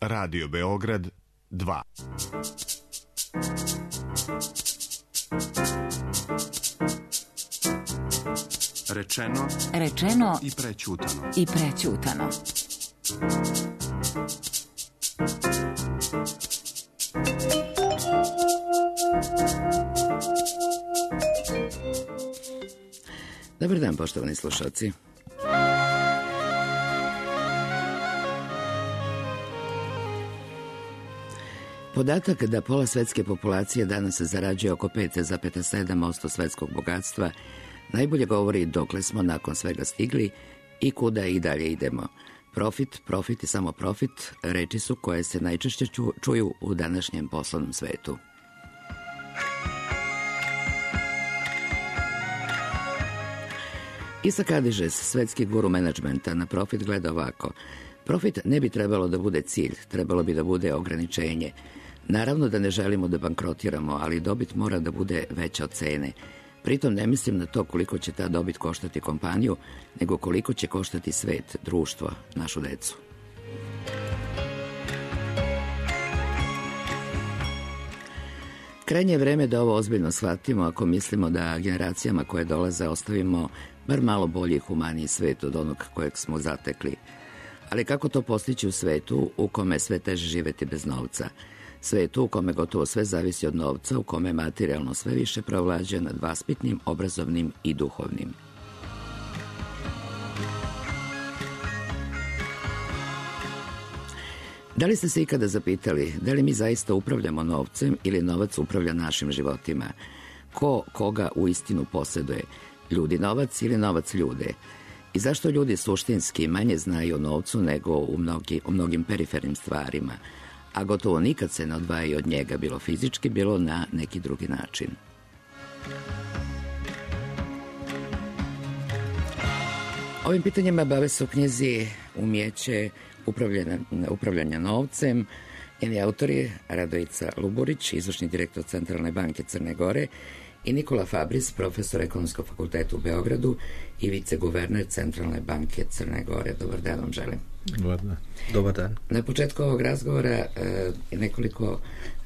Radio Beograd 2. Rečeno i prećutano. Dobar dan, poštovani slušalci. Podatak da pola svetske populacije danas zarađuje oko 5,7% svetskog bogatstva najbolje govori dokle smo nakon svega stigli i kuda i dalje idemo. Profit i samo profit reči su koje se najčešće čuju u današnjem poslovnom svetu. Isaac Adižes, svetski guru menadžmenta, na profit gleda ovako. Profit ne bi trebalo da bude cilj, trebalo bi da bude ograničenje. Naravno da ne želimo da bankrotiramo, ali dobit mora da bude veća od cene. Pritom ne mislim na to koliko će ta dobit koštati kompaniju, nego koliko će koštati svet, društvo, našu decu. Krajnje je vreme da ovo ozbiljno shvatimo ako mislimo da generacijama koje dolaze ostavimo bar malo bolji i humaniji svet od onog kojeg smo zatekli. Ali kako to postići u svetu u kome sve teže živeti bez novca? Svetu u kome gotovo sve zavisi od novca, u kome materijalno sve više preovlađuje nad vaspitnim, obrazovnim i duhovnim. Da li ste se ikada zapitali da li mi zaista upravljamo novcem ili novac upravlja našim životima? Ko koga u istinu posjeduje? Ljudi novac ili novac ljude? I zašto ljudi suštinski manje znaju o novcu nego u mnogim perifernim stvarima, a gotovo nikad se ne odvajaju od njega, bilo fizički, bilo na neki drugi način? Ovim pitanjima bave se u knjizi Umijeće upravljanja novcem. Njeni autori Radojica Luburić, izvršni direktor Centralne banke Crne Gore, i Nikola Fabris, profesor Ekonomskog fakulteta u Beogradu i viceguverner Centralne banke Crne Gore. Dobar dan vam želim. Dobar dan. Na početku ovog razgovora nekoliko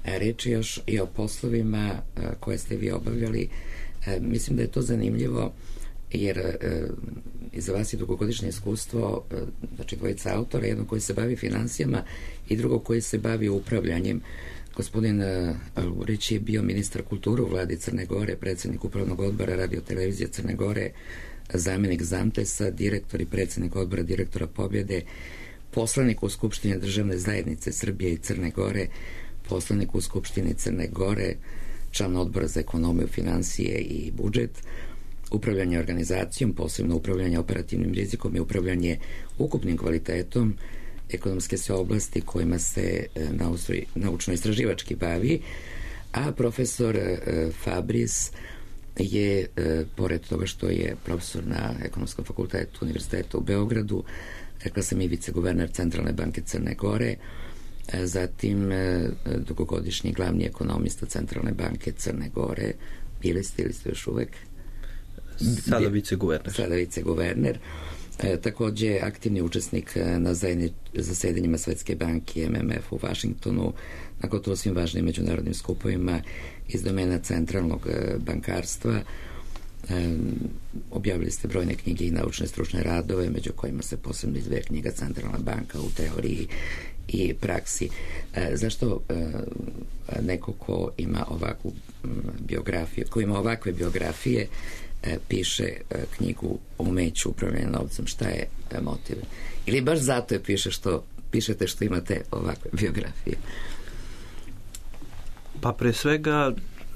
reči još i o poslovima koje ste vi obavljali. Mislim da je to zanimljivo jer iza vas je dugogodišnje iskustvo, znači dvojica autora, jedno koji se bavi finansijama i drugo koji se bavi upravljanjem. Gospodin Luburić je bio ministar kulture u vladi Crne Gore, predsjednik upravnog odbora Radio televizije Crne Gore, zamjenik Zamtesa, direktor i predsjednik odbora direktora Pobjede, poslanik u Skupštini državne zajednice Srbije i Crne Gore, poslanik u Skupštini Crne Gore, član odbora za ekonomiju, finansije i budžet, upravljanje organizacijom, posebno upravljanje operativnim rizikom i upravljanje ukupnim kvalitetom ekonomske se oblasti kojima se naučno-istraživački bavi, a profesor Fabris je, pored toga što je profesor na Ekonomskom fakultetu Univerziteta u Beogradu, rekla sam i viceguverner Centralne banke Crne Gore, zatim dugogodišnji glavni ekonomista Centralne banke Crne Gore. Bili ste ili ste još uvek? Sada viceguverner. Takođe aktivni učesnik na zasedanjima Svetske banke i MMF u Vašingtonu, na gotovo svim važnim međunarodnim skupovima iz domena centralnog bankarstva. Objavili ste brojne knjige i naučne stručne radove, među kojima se posebno izdvaja knjiga Centralna banka u teoriji i praksi. Zašto neko ko ima ovakvu biografiju, ko ima ovakve biografije, piše knjigu o umeću upravljanja novcem? Šta je motiv? Ili baš zato je pišete što imate ovakve biografije? Pa pre svega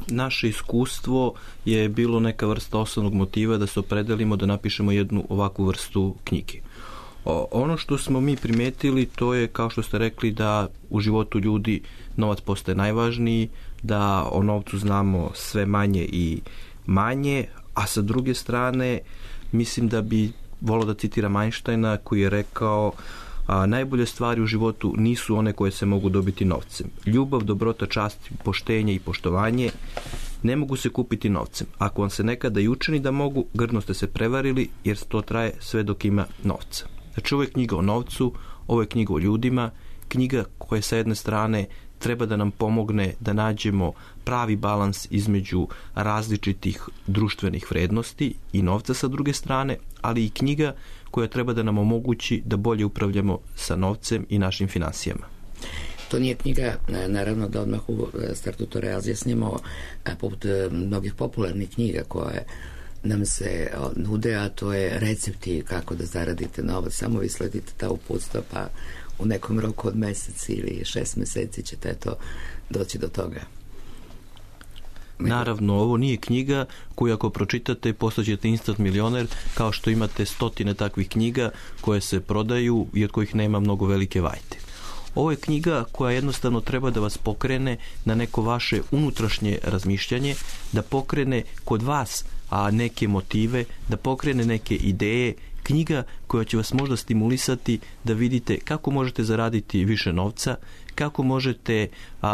naše iskustvo je bilo neka vrsta osnovnog motiva da se opredelimo da napišemo jednu ovakvu vrstu knjige. Ono što smo mi primetili, to je, kao što ste rekli, da u životu ljudi novac postaje najvažniji, da o novcu znamo sve manje i manje, a sa druge strane mislim da bi volio da citiram Einsteina koji je rekao: najbolje stvari u životu nisu one koje se mogu dobiti novcem. Ljubav, dobrota, čast, poštenje i poštovanje ne mogu se kupiti novcem. Ako vam se nekada i učini da mogu, grdno ste se prevarili, jer to traje sve dok ima novca. Znači, ovo je knjiga o novcu, ovo je knjiga o ljudima knjiga koja sa jedne strane treba da nam pomogne da nađemo pravi balans između različitih društvenih vrednosti i novca sa druge strane, ali i knjiga koja treba da nam omogući da bolje upravljamo sa novcem i našim finansijama. To nije knjiga, naravno da odmah u startu to razjasnimo, poput mnogih popularnih knjiga koje nam se nude, a to je recepti kako da zaradite novac. Samo vi sledite ta uputstva, pa u nekom roku od mesec ili 6 meseci ćete doći do toga. Naravno, ovo nije knjiga koju ako pročitate postaćete instant milioner, kao što imate stotine takvih knjiga koje se prodaju i od kojih nema mnogo velike vajte. Ovo je knjiga koja jednostavno treba da vas pokrene na neko vaše unutrašnje razmišljanje, da pokrene kod vas neke motive, da pokrene neke ideje, knjiga koja će vas možda stimulisati da vidite kako možete zaraditi više novca, kako možete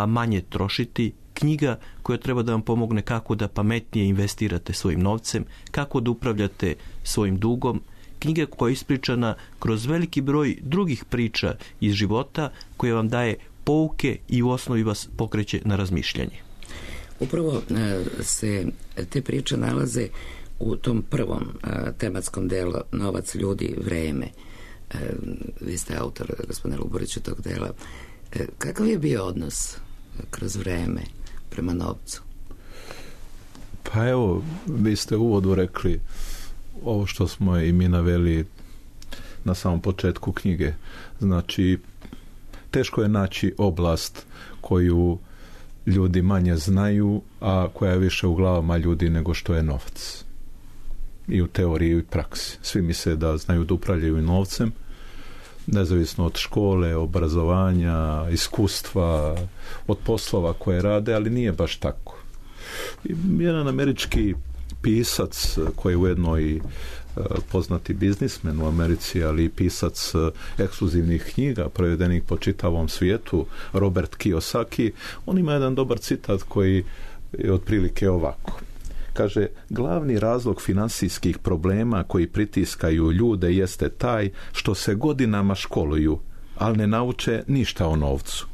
manje trošiti, knjiga koja treba da vam pomogne kako da pametnije investirate svojim novcem, kako da upravljate svojim dugom, knjiga koja je ispričana kroz veliki broj drugih priča iz života koja vam daje pouke i u osnovi vas pokreće na razmišljanje. Upravo se te priče nalaze u tom prvom tematskom delu Novac, ljudi, vreme. Vi ste autor, gospodine Luburiću, tog dela. Kakav je bio odnos kroz vreme prema novcu? Pa evo, vi ste u uvodu rekli ovo što smo i mi naveli na samom početku knjige. Znači, teško je naći oblast koju ljudi manje znaju, a koja je više u glavama ljudi nego što je novac. I u teoriji i u praksi. Svi misle da znaju da upravljaju novcem, nezavisno od škole, obrazovanja, iskustva, od poslova koje rade, ali nije baš tako. Jedan američki pisac koji je ujedno i poznati biznismen u Americi, ali i pisac ekskluzivnih knjiga prevedenih po čitavom svijetu, Robert Kiyosaki, on ima jedan dobar citat koji je otprilike ovako. Kaže, glavni razlog finansijskih problema koji pritiskaju ljude jeste taj što se godinama školuju, ali ne nauče ništa o novcu.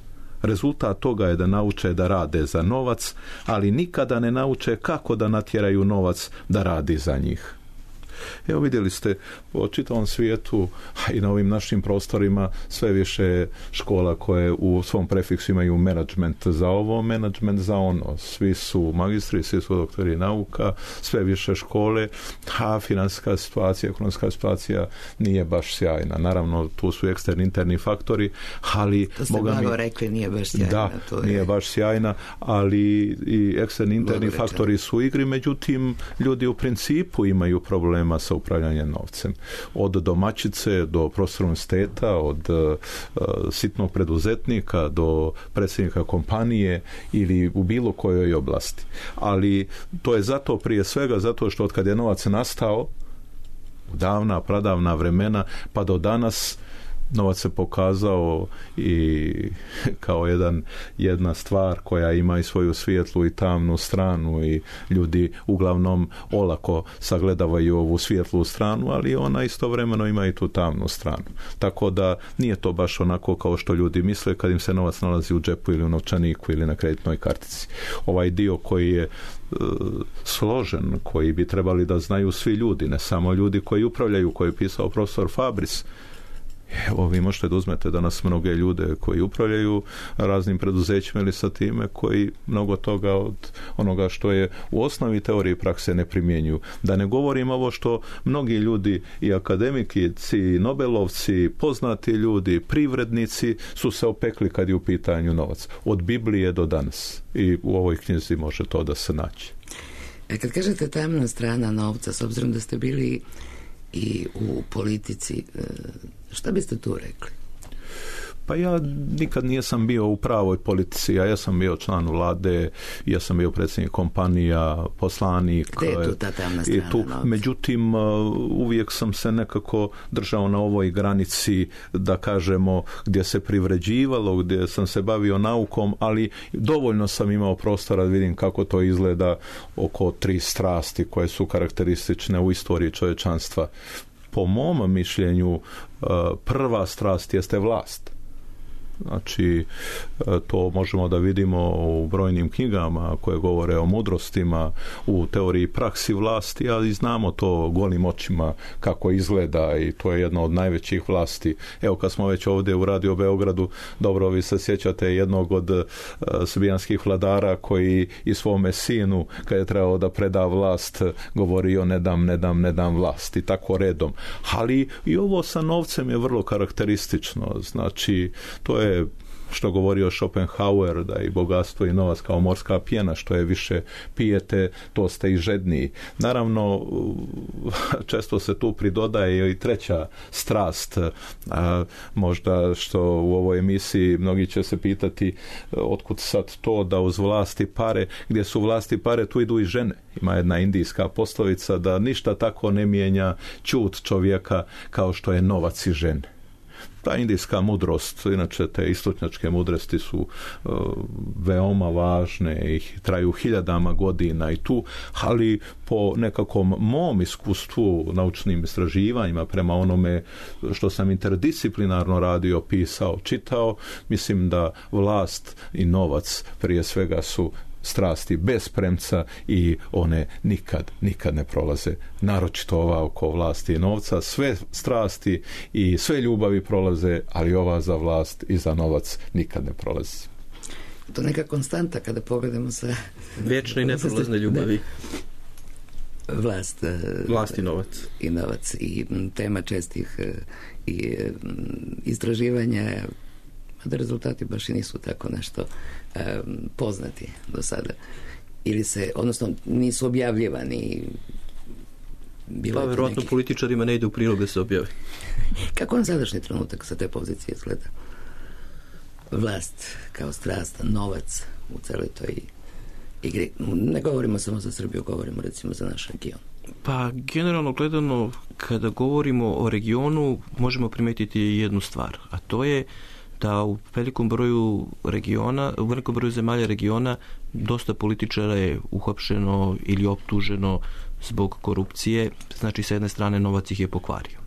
Rezultat toga je da nauče da rade za novac, ali nikada ne nauče kako da natjeraju novac da radi za njih. Evo vidjeli ste po čitavom svijetu, a i na ovim našim prostorima sve više škola koje u svom prefiksu imaju menadžment za ovo, menadžment za ono. Svi su magistri, svi su doktori nauka, sve više škole, a financijska situacija, ekonomska situacija nije baš sjajna. Naravno, tu su eksterni, interni faktori, ali... To ste mnogo rekli, nije baš sjajna. Da, nije baš sjajna, ali i eksterni, interni faktori su u igri, međutim, ljudi u principu imaju problema sa upravljanjem novcem. Od domaćice do profesora univerziteta, od sitnog preduzetnika do predsjednika kompanije ili u bilo kojoj oblasti. Ali to je zato prije svega zato što od kad je novac nastao u davna, pradavna vremena pa do danas novac se pokazao i kao jedna stvar koja ima i svoju svijetlu i tamnu stranu i ljudi uglavnom olako sagledavaju ovu svijetlu stranu, ali ona istovremeno ima i tu tamnu stranu. Tako da nije to baš onako kao što ljudi misle kad im se novac nalazi u džepu ili u novčaniku ili na kreditnoj kartici. Ovaj dio koji je složen, koji bi trebali da znaju svi ljudi, ne samo ljudi koji upravljaju, koji je pisao profesor Fabris. Evo, vi možete da uzmete danas mnoge ljude koji upravljaju raznim preduzećima ili sa time koji mnogo toga od onoga što je u osnovi teorije i prakse ne primjenjuju. Da ne govorim ovo što mnogi ljudi i akademikici, i nobelovci, poznati ljudi, privrednici su se opekli kad je u pitanju novac. Od Biblije do danas. I u ovoj knjizi može to da se naći. Kad kažete tamna strana novca, s obzirom da ste bili i u politici, šta biste tu rekli? Pa ja nikad nisam bio u pravoj politici, ja sam bio član vlade, ja sam bio predsjednik kompanija, poslanik. Gde je tu ta tamna strana novca? Međutim, uvijek sam se nekako držao na ovoj granici, da kažemo, gdje se privređivalo, gdje sam se bavio naukom, ali dovoljno sam imao prostora da vidim kako to izgleda oko 3 strasti koje su karakteristične u istoriji čovječanstva. Po mom mišljenju, prva strast jeste vlast. Znači, to možemo da vidimo u brojnim knjigama koje govore o mudrostima, u teoriji praksi vlasti, ali znamo to golim očima kako izgleda i to je jedna od najvećih vlasti. Evo, kad smo već ovdje u Radio Beogradu, dobro, vi se sjećate jednog od srbijanskih vladara koji i svome sinu, kad je trebao da preda vlast, govorio ne dam vlast i tako redom. Ali i ovo sa novcem je vrlo karakteristično. Znači, to je što govorio Schopenhauer, da i bogatstvo i novac kao morska pjena, što je više pijete, to ste i žedniji. Naravno, često se tu pridodaje i treća strast, možda što u ovoj emisiji mnogi će se pitati otkud sad to da uz vlasti pare, gdje su vlasti pare, tu idu i žene. Ima jedna indijska poslovica da ništa tako ne mijenja ćut čovjeka kao što je novac i žene. Ta indijska mudrost, inače te istočnjačke mudrosti su veoma važne i traju hiljadama godina i tu, ali po nekakvom mom iskustvu, naučnim istraživanjima, prema onome što sam interdisciplinarno radio, pisao, čitao, mislim da vlast i novac prije svega su strasti bez premca i one nikad ne prolaze. Naročito ova oko vlasti i novca. Sve strasti i sve ljubavi prolaze, ali ova za vlast i za novac nikad ne prolazi. To je neka konstanta kada pogledamo sa... Vječne i neprolazne ljubavi. Vlast i novac. I novac. I tema čestih i istraživanja, da rezultati baš i nisu tako nešto poznati do sada. Ili se, odnosno, nisu objavljivani. Pa, vjerojatno političarima ne ide u prilog da se objavi. Kako na sadašnji trenutak sa te pozicije izgleda? Vlast kao strast, novac u celoj toj igri. Ne govorimo samo za Srbiju, govorimo recimo za naš region. Pa, generalno gledano, kada govorimo o regionu, možemo primetiti jednu stvar, a to je da u velikom broju zemalja regiona dosta političara je uhapšeno ili optuženo zbog korupcije, znači sa jedne strane novac ih je pokvario.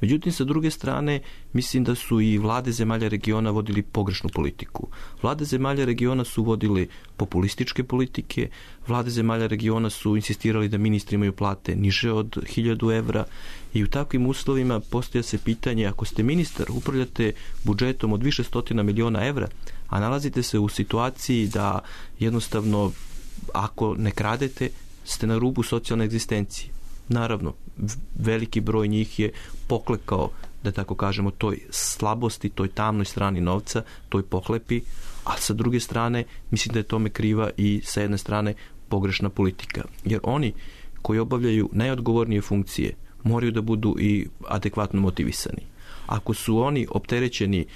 Međutim, sa druge strane, mislim da su i vlade zemalja regiona vodili pogrešnu politiku. Vlade zemalja regiona su vodili populističke politike, vlade zemalja regiona su insistirali da ministri imaju plate niže od 1000 evra i u takvim uslovima postavlja se pitanje, ako ste ministar, upravljate budžetom od više stotina miliona evra, a nalazite se u situaciji da jednostavno, ako ne kradete, ste na rubu socijalne egzistencije. Naravno, veliki broj njih je poklekao, da tako kažemo, toj slabosti, toj tamnoj strani novca, toj pohlepi, a sa druge strane, mislim da je tome kriva i sa jedne strane pogrešna politika. Jer oni koji obavljaju najodgovornije funkcije moraju da budu i adekvatno motivisani. Ako su oni opterećeni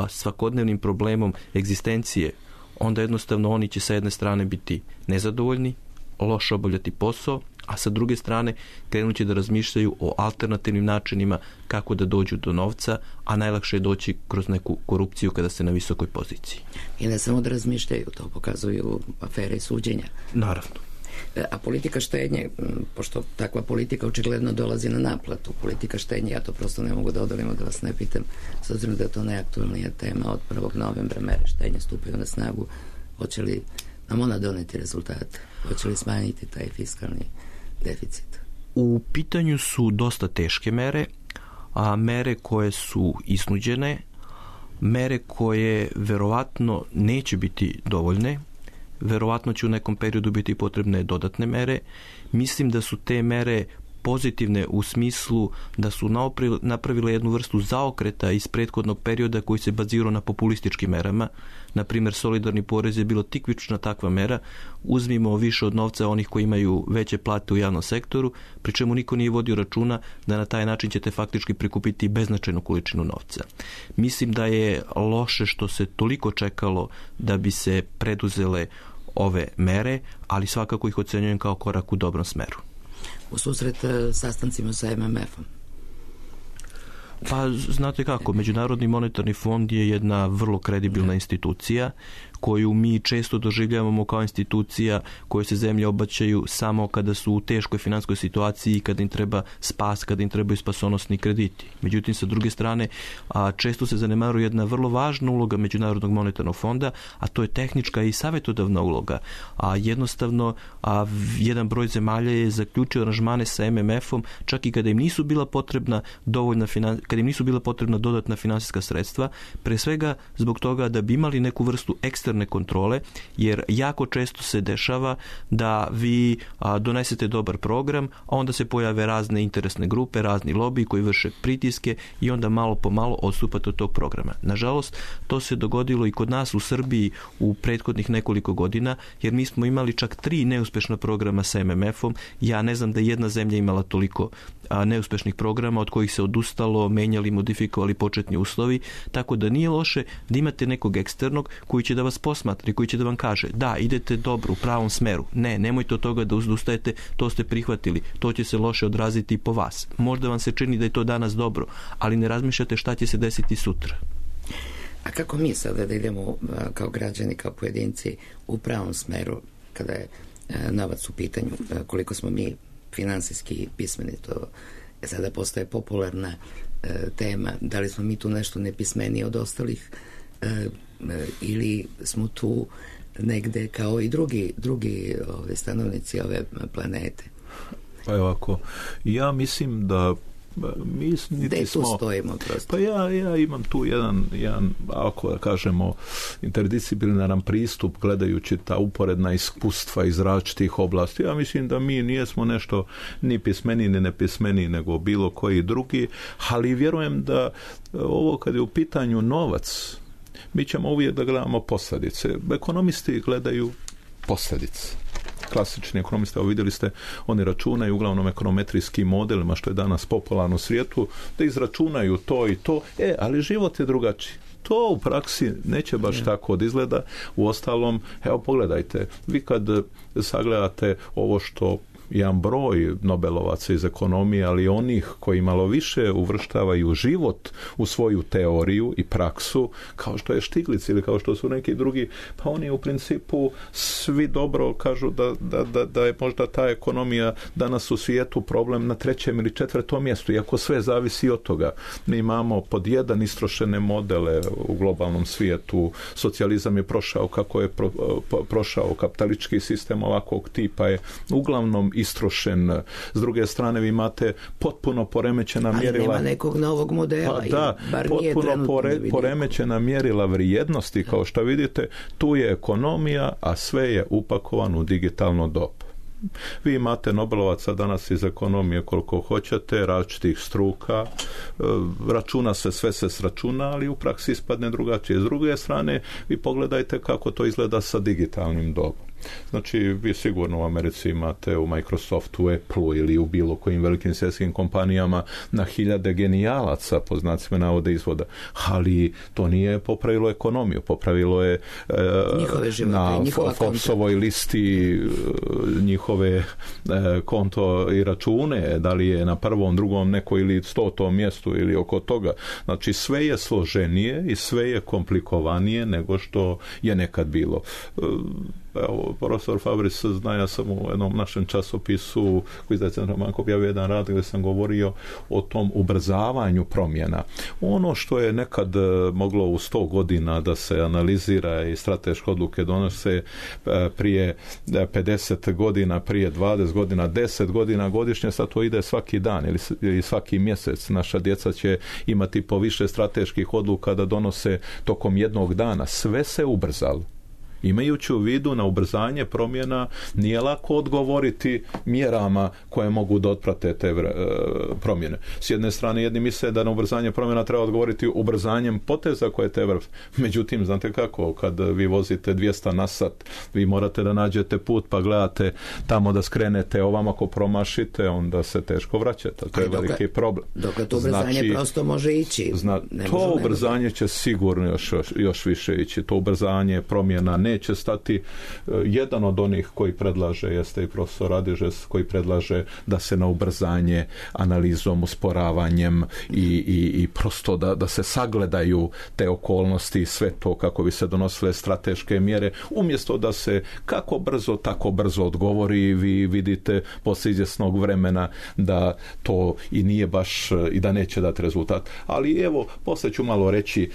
svakodnevnim problemom egzistencije, onda jednostavno oni će sa jedne strane biti nezadovoljni, loše obavljati posao, a sa druge strane krenut će da razmišljaju o alternativnim načinima kako da dođu do novca, a najlakše je doći kroz neku korupciju kada ste na visokoj poziciji. I ne samo da razmišljaju, to pokazuju afere i suđenja. Naravno. A politika štednje, pošto takva politika očigledno dolazi na naplatu, politika štednje, ja to prosto ne mogu da odolimo da vas ne pitam, s obzirom da je to najaktualnija tema, od 1. novembra mere štednje stupaju na snagu, hoće li nam ona doneti rezultate? Hoće li smanjiti taj fiskalni deficit? U pitanju su dosta teške mere, a mere koje su iznuđene, mere koje verovatno neće biti dovoljne, verovatno će u nekom periodu biti potrebne dodatne mere. Mislim da su te mere pozitivne u smislu da su napravile jednu vrstu zaokreta iz prethodnog perioda koji se bazirao na populističkim merama. Na primjer, solidarni porez je bilo tikvična takva mera. Uzmimo više od novca onih koji imaju veće plate u javnom sektoru, pri čemu niko nije vodio računa da na taj način ćete faktički prikupiti beznačajnu količinu novca. Mislim da je loše što se toliko čekalo da bi se preduzele ove mere, ali svakako ih ocenjujem kao korak u dobrom smeru. U susret sastancima sa MMF-om? Pa znate kako, Međunarodni monetarni fond je jedna vrlo kredibilna institucija koju mi često doživljavamo kao institucija koje se zemlje obraćaju samo kada su u teškoj finanskoj situaciji i kada im treba spas, kada im trebaju spasonosni krediti. Međutim, sa druge strane, često se zanemaruje jedna vrlo važna uloga Međunarodnog monetarnog fonda, a to je tehnička i savjetodavna uloga. Jednostavno, jedan broj zemalja je zaključio aranžmane sa MMF-om čak i kada im nisu bila potrebna kada im nisu bila potrebna dodatna finansijska sredstva, pre svega zbog toga da bi imali neku vrstu eksterne kontrole, jer jako često se dešava da vi donesete dobar program, a onda se pojave razne interesne grupe, razni lobiji koji vrše pritiske i onda malo po malo odstupate od tog programa. Nažalost, to se dogodilo i kod nas u Srbiji u prethodnih nekoliko godina, jer mi smo imali čak 3 neuspešna programa sa MMF-om. Ja ne znam da jedna zemlja imala toliko neuspešnih programa od kojih se odustalo, menjali, modifikovali početni uslovi, tako da nije loše da imate nekog eksternog koji će da vas posmatra i koji će da vam kaže da, idete dobro, u pravom smeru. Ne, nemojte od toga da odustajete, to ste prihvatili, to će se loše odraziti i po vas. Možda vam se čini da je to danas dobro, ali ne razmišljate šta će se desiti sutra. A kako mi sada da idemo kao građani, kao pojedinci u pravom smeru kada je novac u pitanju, koliko smo mi finansijski pismeni, to sada postaje popularna tema, da li smo mi tu nešto nepismeniji od ostalih ili smo tu negde kao i drugi stanovnici ove planete. Pa je ovako, ja mislim da gde tu stojimo prosto? Pa ja imam tu jedan ako da kažemo interdisciplinaran pristup gledajući ta uporedna iskustva iz različitih oblasti. Ja mislim da mi nijesmo nešto ni pismeni ni nepismeni nego bilo koji drugi, ali vjerujem da ovo kad je u pitanju novac, mi ćemo uvijek da gledamo posljedice. Ekonomisti gledaju posljedice. Klasični ekonomisti, vidjeli ste, oni računaju uglavnom ekonometrijskim modelima, što je danas popularno u svijetu, da izračunaju to i to, ali život je drugačiji. To u praksi neće baš tako od izgleda. Uostalom, evo pogledajte, vi kad sagledate ovo što jedan broj Nobelovaca iz ekonomije, ali onih koji malo više uvrštavaju život u svoju teoriju i praksu, kao što je Stiglitz ili kao što su neki drugi, pa oni u principu svi dobro kažu da je možda ta ekonomija danas u svijetu problem na 3. ili 4. mjestu, iako sve zavisi od toga. Mi imamo pod jedan istrošene modele u globalnom svijetu, socijalizam je prošao kako je prošao, kapitalistički sistem ovakvog tipa je uglavnom istrošen. S druge strane vi imate potpuno poremećena mjerila. Ali nema nekog novog modela. Pa da, potpuno poremećena mjerila vrijednosti, kao što vidite, tu je ekonomija, a sve je upakovano u digitalno doba. Vi imate Nobelovaca danas iz ekonomije koliko hoćete, različitih struka, računa se, sve se sračuna, ali u praksi ispadne drugačije. S druge strane, vi pogledajte kako to izgleda sa digitalnim dobom. Znači, vi sigurno u Americi imate u Microsoftu, Appleu ili u bilo kojim velikim svjetskim kompanijama na hiljade genijalaca, po znacima navode izvoda, ali to nije popravilo ekonomiju, popravilo je na Forbesovoj listi njihove konto i račune, da li je na prvom, drugom neko ili 100. mjestu ili oko toga. Znači, sve je složenije i sve je komplikovanije nego što je nekad bilo. Evo, profesor Fabris zna, ja sam u jednom našem časopisu koji izdaje Centralna banka objavio jedan rad gdje sam govorio o tom ubrzavanju promjena. Ono što je nekad moglo u 100 godina da se analizira i strateške odluke donose prije 50 godina, prije 20 godina, 10 godina godišnje, sad to ide svaki dan ili svaki mjesec. Naša djeca će imati po više strateških odluka da donose tokom jednog dana. Sve se ubrzalo. Imajući u vidu na ubrzanje promjena, nije lako odgovoriti mjerama koje mogu da otprate te promjene. S jedne strane, jedni misle da na ubrzanje promjena treba odgovoriti ubrzanjem poteza koje te međutim, znate kako, kad vi vozite 200 na sat, vi morate da nađete put pa gledate tamo da skrenete, ovamo ako promašite, onda se teško vraćate. To je veliki problem. Dokle to ubrzanje prosto može ići. To ubrzanje će sigurno još više ići. To ubrzanje promjena neće neće stati. Jedan od onih koji predlaže jeste i profesor Radižes, koji predlaže da se na ubrzanje analizom, usporavanjem i prosto da se sagledaju te okolnosti i sve to kako bi se donosile strateške mjere, umjesto da se kako brzo, tako brzo odgovori. Vi vidite poslije izvjesnog vremena da to i nije baš i da neće dati rezultat. Ali evo, poslije ću malo reći,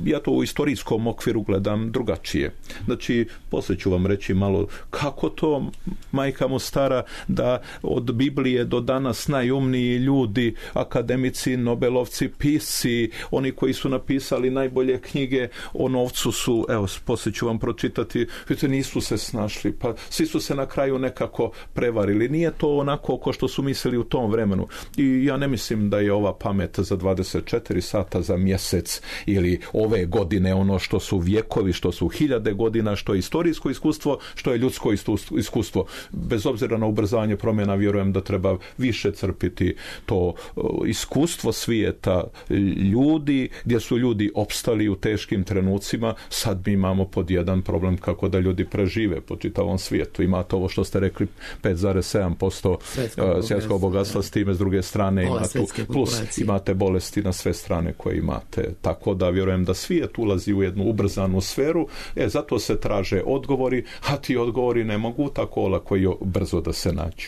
ja to u istorijskom okviru gledam drugačije. Znači, poslije ću vam reći malo kako to, majka mu stara, da od Biblije do danas najumniji ljudi, akademici, nobelovci, pisci, oni koji su napisali najbolje knjige o novcu su, evo, poslije ću vam pročitati, vidite, nisu se snašli, pa svi su se na kraju nekako prevarili. Nije to onako ko što su mislili u tom vremenu. I ja ne mislim da je ova pamet za 24 sata za mjesec ili ove godine ono što su vjekovi, što su hiljade godina, što je istorijsko iskustvo, što je ljudsko iskustvo. Bez obzira na ubrzanje promjena, vjerujem da treba više crpiti to iskustvo svijeta ljudi, gdje su ljudi opstali u teškim trenucima. Sad mi imamo pod jedan problem kako da ljudi prežive po čitavom svijetu. Imate ovo što ste rekli, 5,7% svjetskog bogatstva, s time s druge strane imate bolesti na sve strane koje imate. Tako da vjerujem da svijet ulazi u jednu ubrzanu sferu, zato se traže odgovori, a ti odgovori ne mogu tako olako i brzo da se nađu.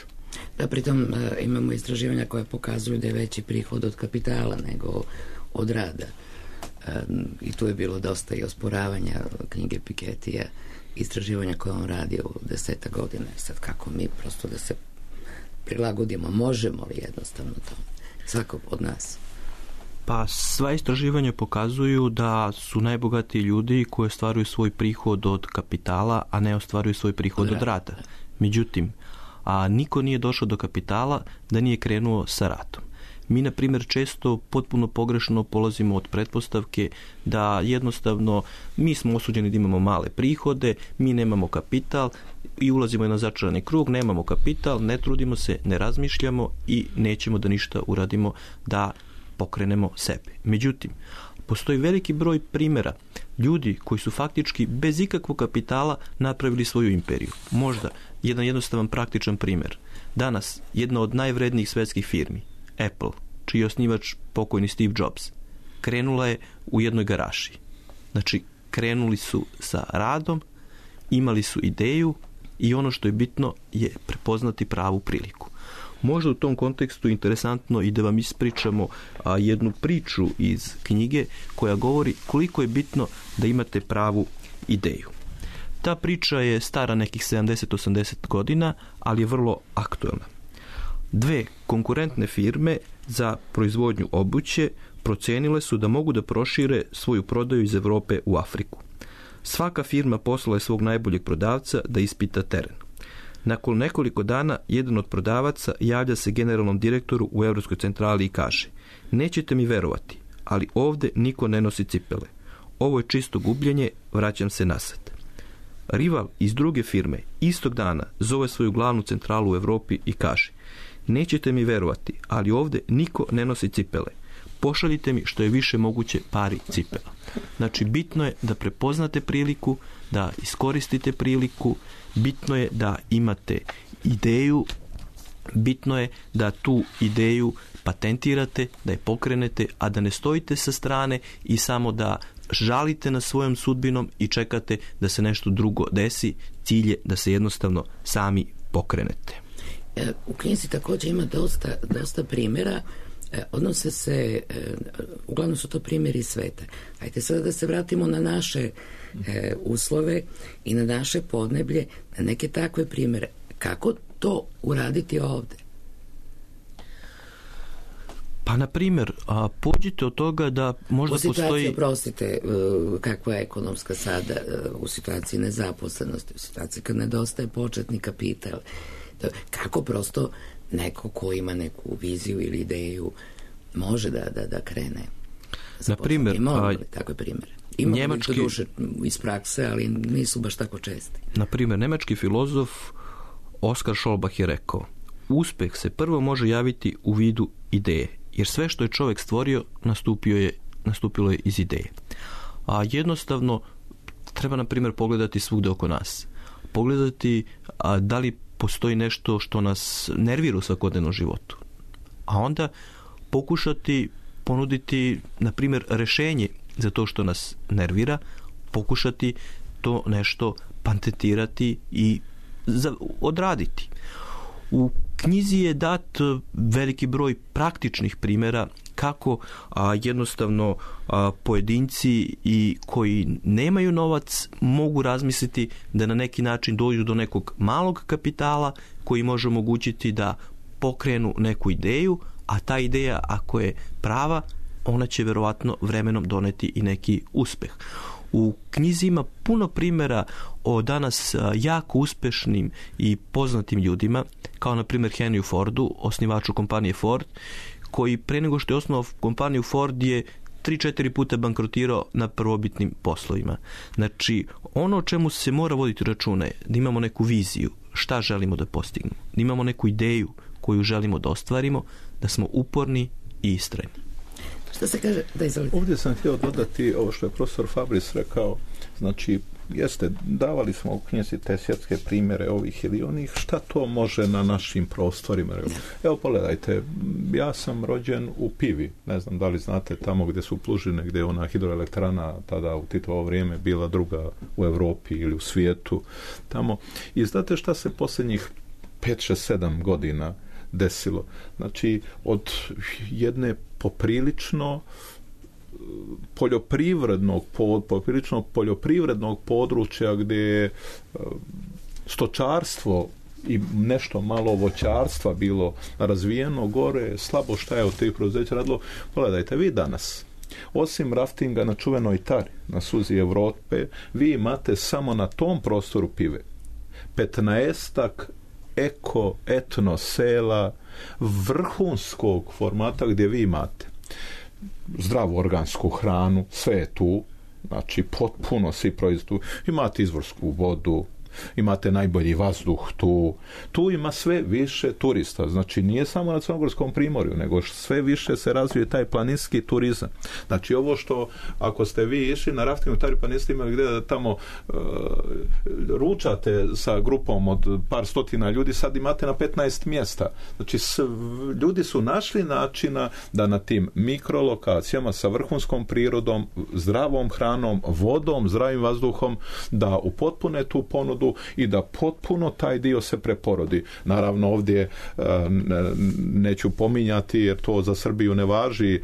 Da, pritom imamo istraživanja koje pokazuju da je veći prihod od kapitala nego od rada. I tu je bilo dosta i osporavanja knjige Piketija, istraživanja koje on radio u 10 godina. Sad kako mi prosto da se prilagodimo, možemo li jednostavno to? Svako od nas. Pa sva istraživanja pokazuju da su najbogatiji ljudi koji ostvaruju svoj prihod od kapitala, a ne ostvaruju svoj prihod od rada. Međutim, niko nije došao do kapitala da nije krenuo sa radom. Mi, na primjer, često potpuno pogrešno polazimo od pretpostavke da jednostavno mi smo osuđeni da imamo male prihode, mi nemamo kapital i ulazimo na začarani krug, nemamo kapital, ne trudimo se, ne razmišljamo i nećemo da ništa uradimo da pokrenemo sebe. Međutim, postoji veliki broj primjera ljudi koji su faktički bez ikakvog kapitala napravili svoju imperiju. Možda jedan jednostavan praktičan primjer. Danas jedna od najvrednijih svjetskih firmi, Apple, čiji je osnivač pokojni Steve Jobs, krenula je u jednoj garaži. Znači, krenuli su sa radom, imali su ideju i ono što je bitno je prepoznati pravu priliku. Možda u tom kontekstu interesantno i da vam ispričamo jednu priču iz knjige koja govori koliko je bitno da imate pravu ideju. Ta priča je stara nekih 70-80 godina, ali je vrlo aktuelna. Dve konkurentne firme za proizvodnju obuće procijenile su da mogu da prošire svoju prodaju iz Europe u Afriku. Svaka firma poslala je svog najboljeg prodavca da ispita teren. Nakon nekoliko dana, jedan od prodavaca javlja se generalnom direktoru u Europskoj centrali i kaže: nećete mi verovati, ali ovdje niko ne nosi cipele. Ovo je čisto gubljenje, vraćam se nasad. Rival iz druge firme istog dana zove svoju glavnu centralu u Europi i kaže: nećete mi verovati, ali ovdje niko ne nosi cipele. Pošaljite mi što je više moguće pari cipela. Znači, bitno je da prepoznate priliku, da iskoristite priliku, bitno je da imate ideju, bitno je da tu ideju patentirate, da je pokrenete, a da ne stojite sa strane i samo da žalite na svojom sudbinom i čekate da se nešto drugo desi. Cilj je da se jednostavno sami pokrenete. U knjizi također ima dosta primjera, odnose se, uglavnom su to primjeri iz sveta. Ajde sada da se vratimo na naše uslove i na naše podneblje, na neke takve primjere. Kako to uraditi ovdje? Pa, na primjer, pođite od toga da možda postoji... Prostite, kakva je ekonomska sada u situaciji nezaposlenosti, u situaciji kad nedostaje početni kapital. Kako prosto neko ko ima neku viziju ili ideju može da krene? Na primjer, imamo takve primjere. Imamo to duše iz prakse, ali nisu baš tako česti. Na primjer, nemački filozof Oskar Scholbach je rekao: uspjeh se prvo može javiti u vidu ideje, jer sve što je čovjek stvorio nastupilo je iz ideje. A jednostavno treba, na primjer, pogledati svugde oko nas. Pogledati da li postoji nešto što nas nervira u svakodnevnom životu. A onda pokušati ponuditi, na primjer, rešenje za to što nas nervira, pokušati to nešto patentirati i odraditi. U knjizi je dat veliki broj praktičnih primjera kako jednostavno pojedinci i koji nemaju novac mogu razmisliti da na neki način dođu do nekog malog kapitala koji može omogućiti da pokrenu neku ideju, a ta ideja, ako je prava, ona će verovatno vremenom doneti i neki uspeh. U knjizi ima puno primjera o danas jako uspešnim i poznatim ljudima, kao na primjer Henry Fordu, osnivaču kompanije Ford, koji pre nego što je osnovao kompaniju Ford je 3-4 puta bankrotirao na prvobitnim poslovima. Znači, ono o čemu se mora voditi računa je da imamo neku viziju, šta želimo da postignemo, da imamo neku ideju koju želimo da ostvarimo, da smo uporni i istrajni. Šta se kaže? Da, izvolite. Ovdje sam htio dodati ovo što je profesor Fabris rekao, znači, davali smo u knjizi te svjetske primjere ovih ili onih, šta to može na našim prostorima. Evo, pogledajte, ja sam rođen u Pivi, ne znam da li znate, tamo gdje su Plužine, gdje je ona hidroelektrana tada u Titovo vrijeme bila druga u Europi ili u svijetu, tamo. I znate šta se posljednjih 5-6-7 godina desilo? Znači, od jedne poprilično poljoprivrednog područja gdje je stočarstvo i nešto malo voćarstva bilo razvijeno gore, slabo šta je od tih preduzeća radilo. Pogledajte, vi danas, osim raftinga na čuvenoj Tari, na suzi Evrope, vi imate samo na tom prostoru Pive 15-ak etno sela vrhunskog formata gdje vi imate zdravu organsku hranu, sve je tu, znači potpuno svi proizvodi, imate izvorsku vodu, imate najbolji vazduh tu ima sve više turista, znači nije samo na Crnogorskom primorju, nego sve više se razvije taj planinski turizam. Znači ovo što, ako ste vi išli na raftingu Tari pa niste imali gdje da tamo ručate sa grupom od par stotina ljudi, sad imate na 15 mjesta. Znači ljudi su našli načina da na tim mikrolokacijama sa vrhunskom prirodom, zdravom hranom, vodom, zdravim vazduhom, da upotpune tu ponudu i da potpuno taj dio se preporodi. Naravno ovdje neću pominjati jer to za Srbiju ne važi,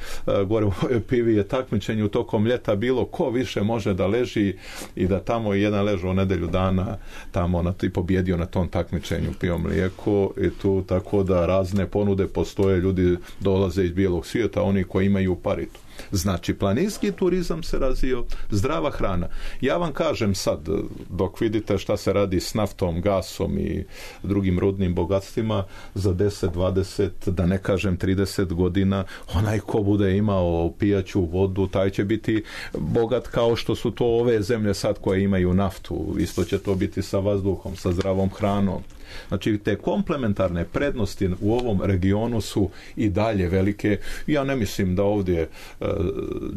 gore u Pivi je takmičenje u tokom ljeta bilo ko više može da leži i da tamo jedan ležao nedelju dana tamo i pobjedio na tom takmičenju pio mlijeko i tu, tako da razne ponude postoje, ljudi dolaze iz bijelog svijeta, oni koji imaju paritu. Znači, planinski turizam se razvio, zdrava hrana. Ja vam kažem sad, dok vidite šta se radi s naftom, gasom i drugim rudnim bogatstvima, za 10, 20, da ne kažem 30 godina, onaj ko bude imao pijaću vodu, taj će biti bogat kao što su to ove zemlje sad koje imaju naftu. Isto će to biti sa vazduhom, sa zdravom hranom. Znači, te komplementarne prednosti u ovom regionu su i dalje velike. Ja ne mislim da ovdje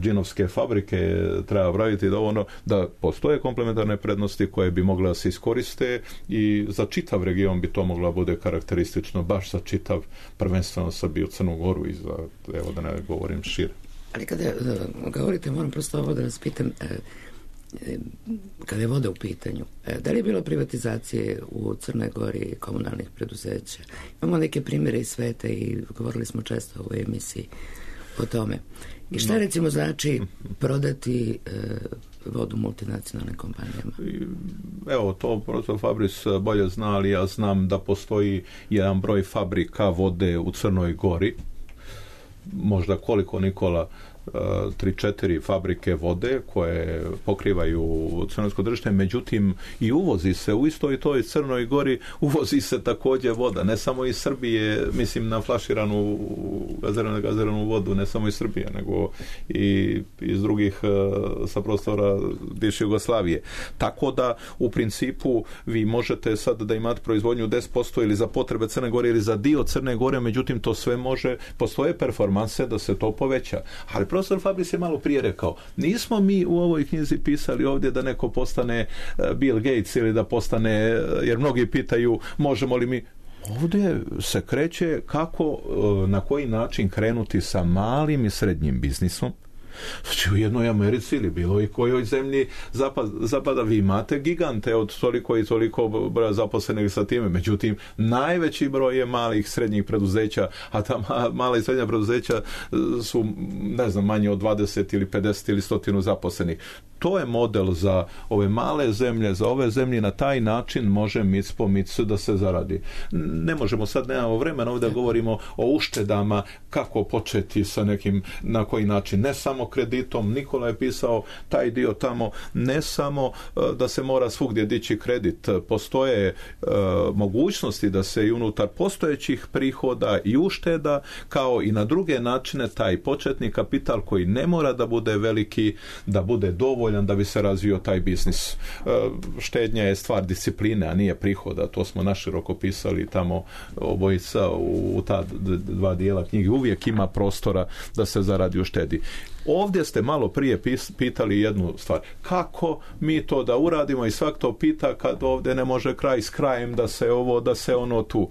džinovske fabrike treba praviti da postoje komplementarne prednosti koje bi mogle da se iskoriste i za čitav region bi to mogla bude karakteristično, baš za čitav, prvenstveno Srbiju, Crnu Goru i za, evo da ne govorim šire. Ali kada govorite, moram prosto ovo da vas pitam, kada je voda u pitanju, da li je bilo privatizacije u Crnoj Gori komunalnih preduzeća? Imamo neke primjere iz sveta i govorili smo često u ovoj emisiji o tome. I šta recimo znači prodati vodu multinacionalnim kompanijama? Evo, to profesor Fabris bolje zna, ali ja znam da postoji jedan broj fabrika vode u Crnoj Gori, možda koliko, Nikola, 3-4 fabrike vode koje pokrivaju crnogorsko tržište, međutim i uvozi se u istoj toj Crnoj Gori, uvozi se također voda, ne samo iz Srbije, mislim na flaširanu gaziranu vodu, ne samo iz Srbije, nego i iz drugih sa prostora bivše Jugoslavije. Tako da u principu vi možete sad da imate proizvodnju 10% ili za potrebe Crne Gore ili za dio Crne Gore, međutim to sve može, postoje performanse da se to poveća. Ali Profesor Fabris je malo prije rekao, nismo mi u ovoj knjizi pisali ovdje da neko postane Bill Gates ili da postane, jer mnogi pitaju možemo li mi. Ovdje se kreće kako, na koji način krenuti sa malim i srednjim biznisom. Znači u jednoj Americi ili bilo i kojoj zemlji zapada vi imate gigante od toliko i toliko broja zaposlenih sa time. Međutim, najveći broj je malih srednjih preduzeća, a ta mala i srednja preduzeća su, ne znam, manje od 20 ili 50 ili 100 zaposlenih. To je model za ove male zemlje, za ove zemlje, na taj način može mic po mic da se zaradi. Ne možemo sad, nemamo vremena, ovdje govorimo o uštedama, kako početi sa nekim, na koji način, ne samo kreditom. Nikola je pisao taj dio tamo, ne samo da se mora svugdje dići kredit, postoje mogućnosti da se i unutar postojećih prihoda i ušteda, kao i na druge načine, taj početni kapital koji ne mora da bude veliki, da bude dovoljan da bi se razvio taj biznis. Štednja je stvar discipline, a nije prihoda. To smo naširoko pisali tamo obojica u ta dva dijela knjige. Uvijek ima prostora da se zaradi u štedi. Ovdje ste malo prije pitali jednu stvar. Kako mi to da uradimo, i svak to pita kad ovdje ne može kraj s krajem, da se ovo, da se ono tu.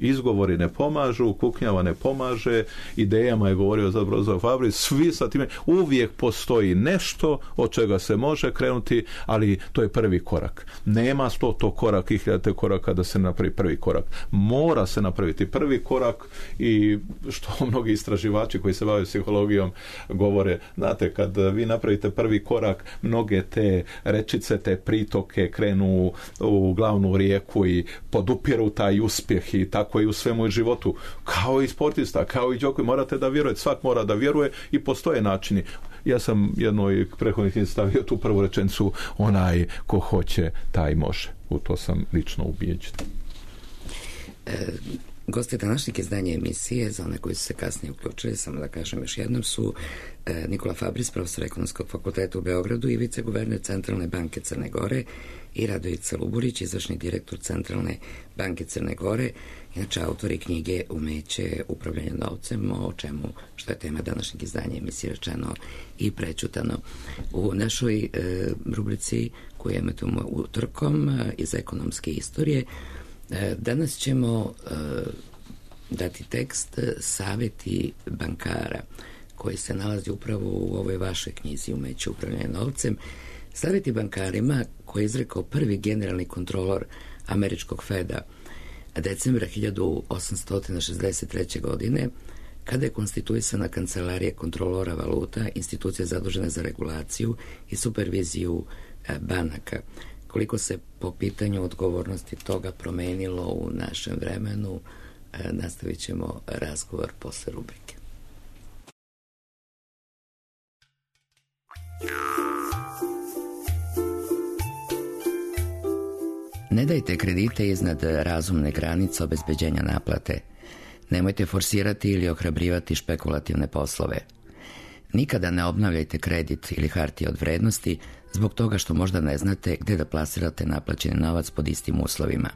Izgovori ne pomažu, kuknjava ne pomaže, idejama je govorio za Profesor Fabris, svi sa time, uvijek postoji nešto od čega se može krenuti, ali to je prvi korak. Nema 100 koraka i 1000 koraka da se napravi prvi korak. Mora se napraviti prvi korak, i što mnogi istraživači koji se bave psihologijom govore, znate, kad vi napravite prvi korak, mnoge te rečice, te pritoke krenu u glavnu rijeku i podupiru taj uspjeh, i tako i u svemu u životu, kao i sportista, kao i Đoković. Morate da vjerujete, svak mora da vjeruje, i postoje načini. Ja sam jednoj prethodnih stavio tu prvu rečenicu, onaj ko hoće, taj može. U to sam lično ubijeđen. Gosti današnjeg izdanja emisije, za one koji su se kasnije uključili, samo da kažem još jednom, su Nikola Fabris, profesor Ekonomskog fakulteta u Beogradu i viceguverner Centralne banke Crne Gore, i Radojica Luburić, izvršni direktor Centralne banke Crne Gore, inače autori knjige Umeće upravljanja novcem, o čemu, što je tema današnjeg izdanja emisije, rečeno i prećutano. U našoj rubrici koju emitujemo utorkom iz ekonomske istorije, danas ćemo dati tekst Savjeti bankara, koji se nalazi upravo u ovoj vašoj knjizi Umeće upravljanja novcem. Savjeti bankarima, koji je izrekao prvi generalni kontrolor američkog Feda decembra 1863. godine, kada je konstituisana kancelarija kontrolora valuta, institucija zadužena za regulaciju i superviziju banaka. Koliko se po pitanju odgovornosti toga promenilo u našem vremenu, nastavit ćemo razgovor posle rubrike. Ne dajte kredite iznad razumne granice obezbeđenja naplate. Nemojte forsirati ili ohrabrivati špekulativne poslove. Nikada ne obnavljajte kredit ili hartije od vrednosti zbog toga što možda ne znate gdje da plasirate naplaćeni novac pod istim uslovima.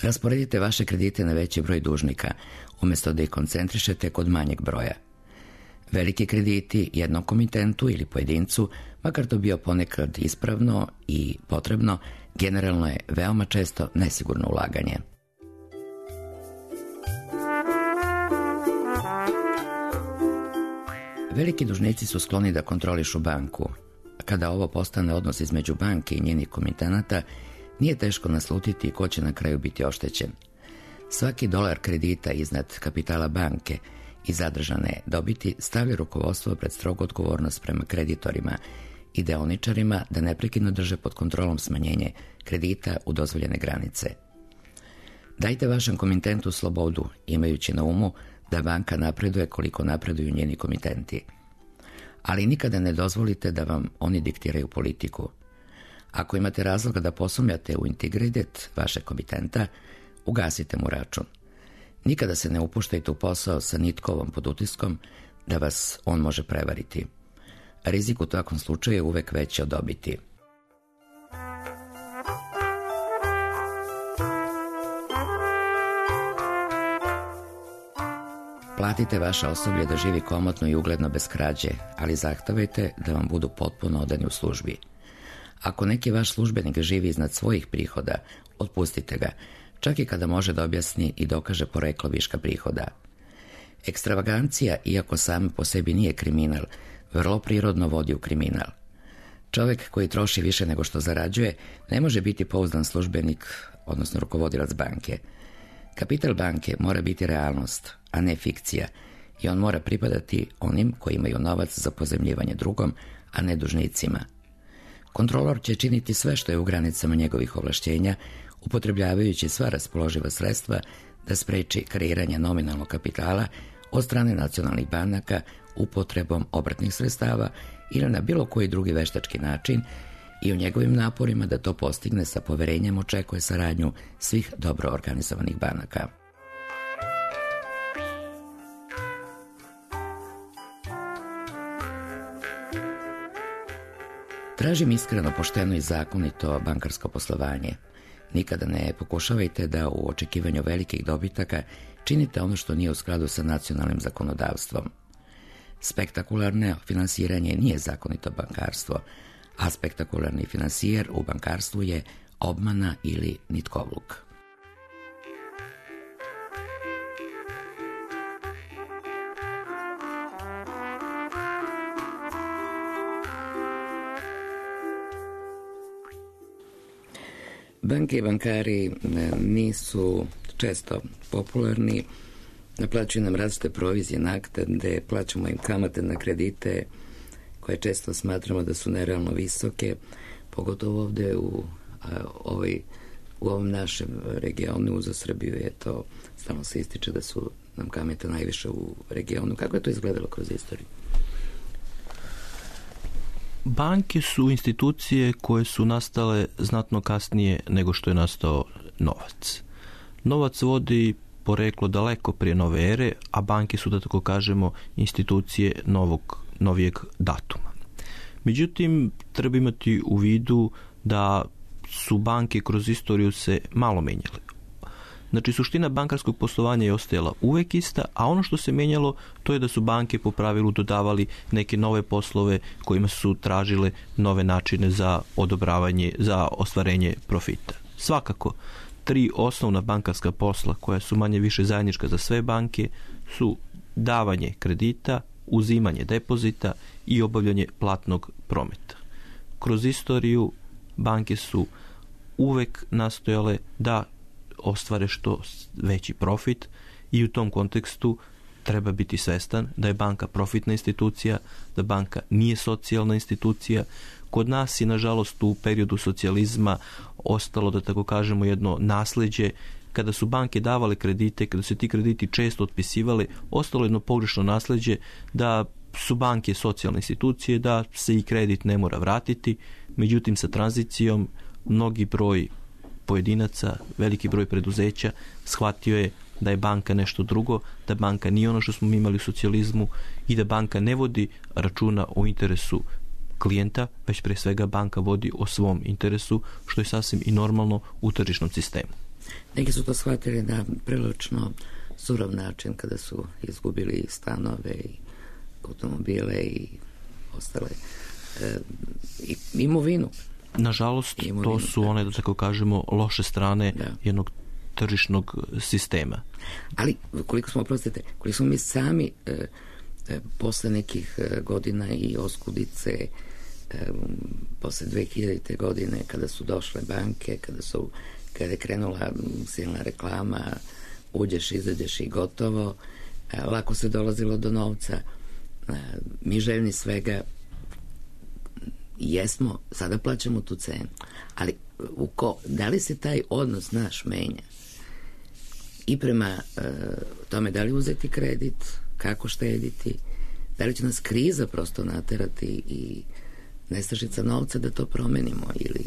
Rasporedite vaše kredite na veći broj dužnika, umjesto da ih koncentrišete kod manjeg broja. Veliki krediti jednom komitentu ili pojedincu, makar to bio ponekad ispravno i potrebno, generalno je veoma često nesigurno ulaganje. Veliki dužnici su skloni da kontrolišu banku. Kada ovo postane odnos između banke i njenih komitenata, nije teško naslutiti ko će na kraju biti oštećen. Svaki dolar kredita iznad kapitala banke i zadržane dobiti stavlja rukovodstvo pred strogu odgovornost prema kreditorima i deoničarima da neprekidno drže pod kontrolom smanjenje kredita u dozvoljene granice. Dajte vašem komitentu slobodu, imajući na umu da banka napreduje koliko napreduju njeni komitenti. Ali nikada ne dozvolite da vam oni diktiraju politiku. Ako imate razloga da posumnjate u integritet vašeg komitenta, ugasite mu račun. Nikada se ne upuštajte u posao sa nitkovom pod utiskom da vas on može prevariti. Rizik u takvom slučaju je uvek veći od dobiti. Platite vaše osoblje da živi komotno i ugledno bez krađe, ali zahtevajte da vam budu potpuno odani u službi. Ako neki vaš službenik živi iznad svojih prihoda, otpustite ga, čak i kada može da objasni i dokaže poreklo viška prihoda. Ekstravagancija, iako sama po sebi nije kriminal, vrlo prirodno vodi u kriminal. Čovjek koji troši više nego što zarađuje ne može biti pouzdan službenik, odnosno rukovodilac banke. Kapital banke mora biti realnost, a ne fikcija, i on mora pripadati onim koji imaju novac za pozajmljivanje drugom, a ne dužnicima. Kontrolor će činiti sve što je u granicama njegovih ovlašćenja, upotrebljavajući sva raspoloživa sredstva da spreči kreiranje nominalnog kapitala od strane nacionalnih banaka upotrebom obrtnih sredstava ili na bilo koji drugi veštački način, i u njegovim naporima da to postigne sa poverenjem očekuje saradnju svih dobro organizovanih banaka. Tražim iskreno, pošteno i zakonito bankarsko poslovanje. Nikada ne pokušavajte da u očekivanju velikih dobitaka činite ono što nije u skladu sa nacionalnim zakonodavstvom. Spektakularno finansiranje nije zakonito bankarstvo, a spektakularni finansijer u bankarstvu je obmana ili nitkovluk. Banke i bankari nisu često popularni, naplaćuju nam različite provizije, naknade, plaćamo im kamate na kredite koje često smatramo da su nerealno visoke, pogotovo ovde u ovom našem regionu, za Srbiju je to, stalno se ističe da su nam kamate najviše u regionu. Kako je to izgledalo kroz istoriju? Banke su institucije koje su nastale znatno kasnije nego što je nastao novac. Novac vodi poreklo daleko prije nove ere, a banke su, da tako kažemo, institucije novijeg datuma. Međutim, treba imati u vidu da su banke kroz istoriju se malo menjale. Znači, suština bankarskog poslovanja je ostajala uvek ista, a ono što se menjalo, to je da su banke po pravilu dodavali neke nove poslove kojima su tražile nove načine za odobravanje, za ostvarenje profita. Svakako, 3 osnovna bankarska posla koja su manje više zajednička za sve banke su davanje kredita, uzimanje depozita i obavljanje platnog prometa. Kroz istoriju banke su uvek nastojale da ostvare što veći profit i u tom kontekstu treba biti svestan da je banka profitna institucija, da banka nije socijalna institucija. Kod nas je, nažalost, u periodu socijalizma ostalo, da tako kažemo, jedno nasleđe. Kada su banke davale kredite, kada se ti krediti često otpisivali, ostalo jedno pogrešno nasleđe da su banke socijalne institucije, da se i kredit ne mora vratiti. Međutim, sa tranzicijom mnogi broj pojedinaca, veliki broj preduzeća shvatio je da je banka nešto drugo, da banka nije ono što smo imali u socijalizmu i da banka ne vodi računa o interesu klijenta, već pre svega banka vodi o svom interesu, što je sasvim i normalno u tržišnom sistemu. Neki su to shvatili na prilično surov način kada su izgubili stanove i automobile i ostale imovinu. Nažalost, to su one, da tako kažemo, loše strane jednog tržišnog sistema. Ali, koliko smo mi sami posle nekih godina i oskudice, posle 2000. godine, kada su došle banke, kada je krenula silna reklama, uđeš, izađeš i gotovo, lako se dolazilo do novca, mi željni svega jesmo, sada plaćamo tu cenu, ali da li se taj odnos naš menja i prema tome da li uzeti kredit, kako štediti, da li će nas kriza prosto naterati i nestašica novca da to promenimo, ili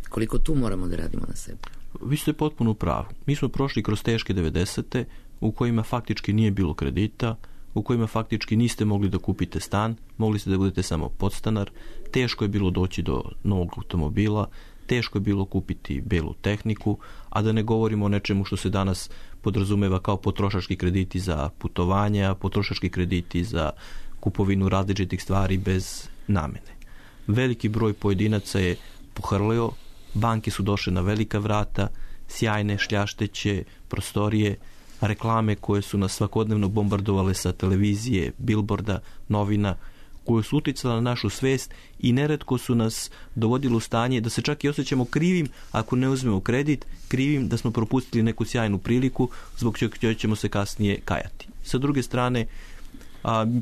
koliko tu moramo da radimo na sebi? Vi ste potpuno u pravu. Mi smo prošli kroz teške 90. u kojima faktički nije bilo kredita, u kojima faktički niste mogli da kupite stan, mogli ste da budete samo podstanar, teško je bilo doći do novog automobila, teško je bilo kupiti belu tehniku, a da ne govorimo o nečemu što se danas podrazumeva kao potrošački krediti za putovanja, potrošački krediti za kupovinu različitih stvari bez namene. Veliki broj pojedinaca je pohrlio, banke su došle na velika vrata, sjajne, šljašteće, prostorije, reklame koje su nas svakodnevno bombardovale sa televizije, bilborda, novina, koje su uticale na našu svest i neretko su nas dovodili u stanje da se čak i osjećamo krivim ako ne uzmemo kredit, krivim da smo propustili neku sjajnu priliku zbog čega ćemo se kasnije kajati. Sa druge strane,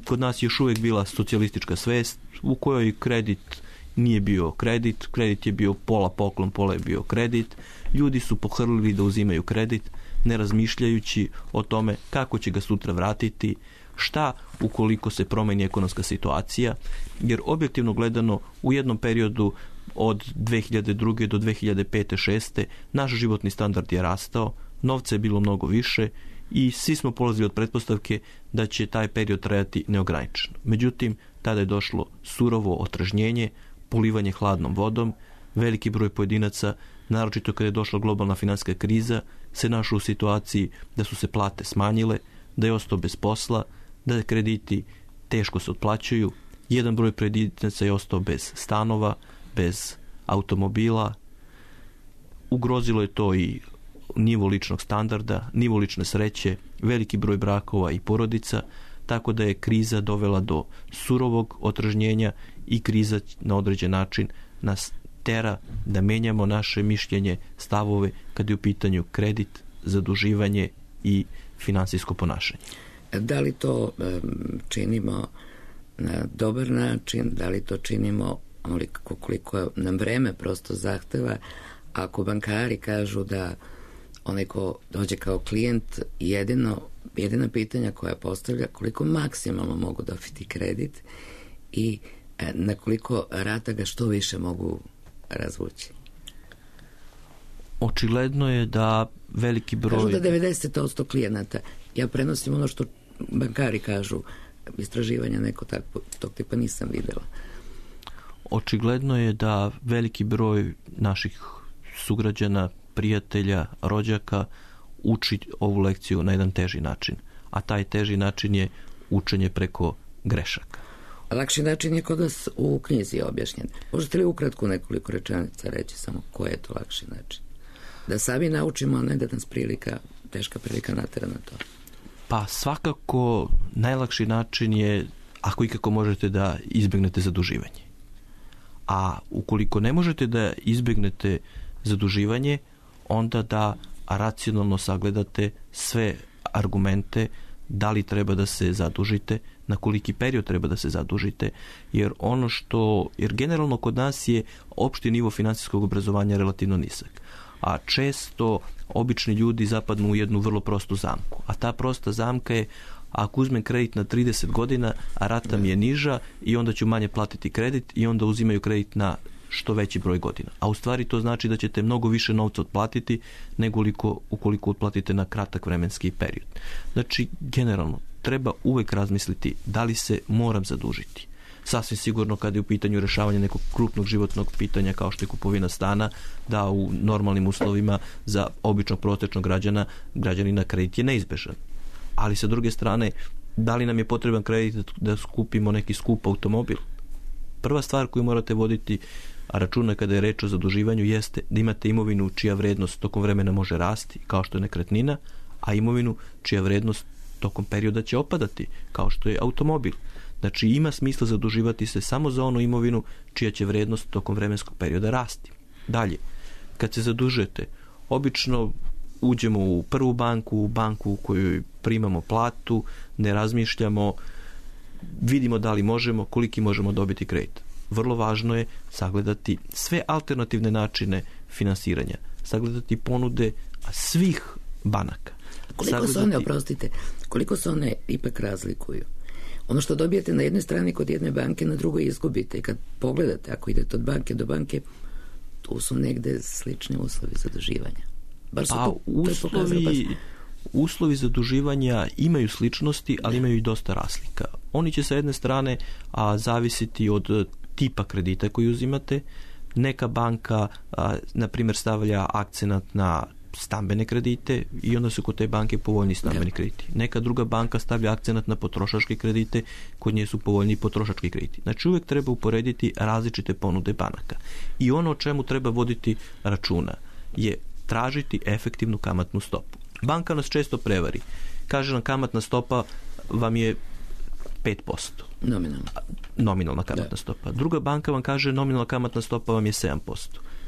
kod nas je još uvijek bila socijalistička svest u kojoj kredit nije bio kredit, kredit je bio pola poklon, pola je bio kredit. Ljudi su pohrlili da uzimaju kredit, ne razmišljajući o tome kako će ga sutra vratiti, šta ukoliko se promeni ekonomska situacija, jer objektivno gledano u jednom periodu od 2002. do 2005-2006. naš životni standard je rastao, novca je bilo mnogo više i svi smo polazili od pretpostavke da će taj period trajati neograničeno. Međutim, tada je došlo surovo otrežnjenje, polivanje hladnom vodom, veliki broj pojedinaca, naročito kada je došla globalna financijska kriza, se našao u situaciji da su se plate smanjile, da je ostao bez posla, da krediti teško se otplaćuju, jedan broj pojedinaca je ostao bez stanova, bez automobila, ugrozilo je to i nivo ličnog standarda, nivo lične sreće, veliki broj brakova i porodica, tako da je kriza dovela do surovog otrežnjenja i kriza na određen način nas tera da menjamo naše mišljenje, stavove kad je u pitanju kredit, zaduživanje i finansijsko ponašanje. Da li to činimo na dobar način, da li to činimo onoliko koliko nam vreme prosto zahteva? Ako bankari kažu da onaj ko dođe kao klijent, jedina pitanja koja postavlja koliko maksimalno mogu dobiti kredit i na koliko rata ga što više mogu razvući. Očigledno je da veliki broj... Kažu da 90% klijenata, ja prenosim ono što bankari kažu, istraživanja neko tog tipa nisam videla. Očigledno je da veliki broj naših sugrađana, prijatelja, rođaka uči ovu lekciju na jedan teži način. A taj teži način je učenje preko grešaka. Lakši način je kod nas u knjizi objašnjen. Možete li ukratko nekoliko rečenica reći samo koji je to lakši način? Da sami naučimo, a ne da nas teška prilika natera na to. Pa svakako najlakši način je ako ikako možete da izbjegnete zaduživanje. A ukoliko ne možete da izbjegnete zaduživanje, onda da racionalno sagledate sve argumente da li treba da se zadužite, na koliki period treba da se zadužite, jer generalno kod nas je opšti nivo finansijskog obrazovanja relativno nizak. A često obični ljudi zapadnu u jednu vrlo prostu zamku. A ta prosta zamka je ako uzmem kredit na 30 godina, a rata mi je niža i onda ću manje platiti kredit i onda uzimaju kredit na što veći broj godina. A u stvari to znači da ćete mnogo više novca otplatiti nego ukoliko otplatite na kratak vremenski period. Znači, generalno, treba uvek razmisliti da li se moram zadužiti. Sasvim sigurno kada je u pitanju rešavanja nekog krupnog životnog pitanja kao što je kupovina stana, da u normalnim uslovima za običnog prosječnog građanina kredit je neizbežan. Ali sa druge strane, da li nam je potreban kredit da skupimo neki skup automobil? Prva stvar koju morate voditi računa kada je reč o zaduživanju jeste da imate imovinu čija vrednost tokom vremena može rasti, kao što je nekretnina, a imovinu čija vrednost tokom perioda će opadati, kao što je automobil. Znači ima smisla zaduživati se samo za onu imovinu čija će vrednost tokom vremenskog perioda rasti. Dalje, kad se zadužujete, obično uđemo u prvu banku, u banku u kojoj primamo platu, ne razmišljamo, vidimo da li možemo, koliki možemo dobiti kredit. Vrlo važno je sagledati sve alternativne načine finansiranja, sagledati ponude svih banaka. Koliko se one ipak razlikuju? Ono što dobijete na jednoj strani kod jedne banke, na drugoj izgubite. I kad pogledate, ako idete od banke do banke, tu su negde slični uslovi zaduživanja. Uslovi zaduživanja imaju sličnosti, ali imaju i dosta razlika. Oni će sa jedne strane zavisiti od tipa kredita koji uzimate, Neka banka, na primjer, stavlja akcenat na stambene kredite i onda su kod te banke povoljni stambeni krediti. Neka druga banka stavlja akcenat na potrošačke kredite, kod nje su povoljni potrošački krediti. Znači uvijek treba uporediti različite ponude banaka. I ono o čemu treba voditi računa je tražiti efektivnu kamatnu stopu. Banka nas često prevari. Kaže nam kamatna stopa vam je 5%. Nominalna kamatna stopa. Druga banka vam kaže nominalna kamatna stopa vam je 7%.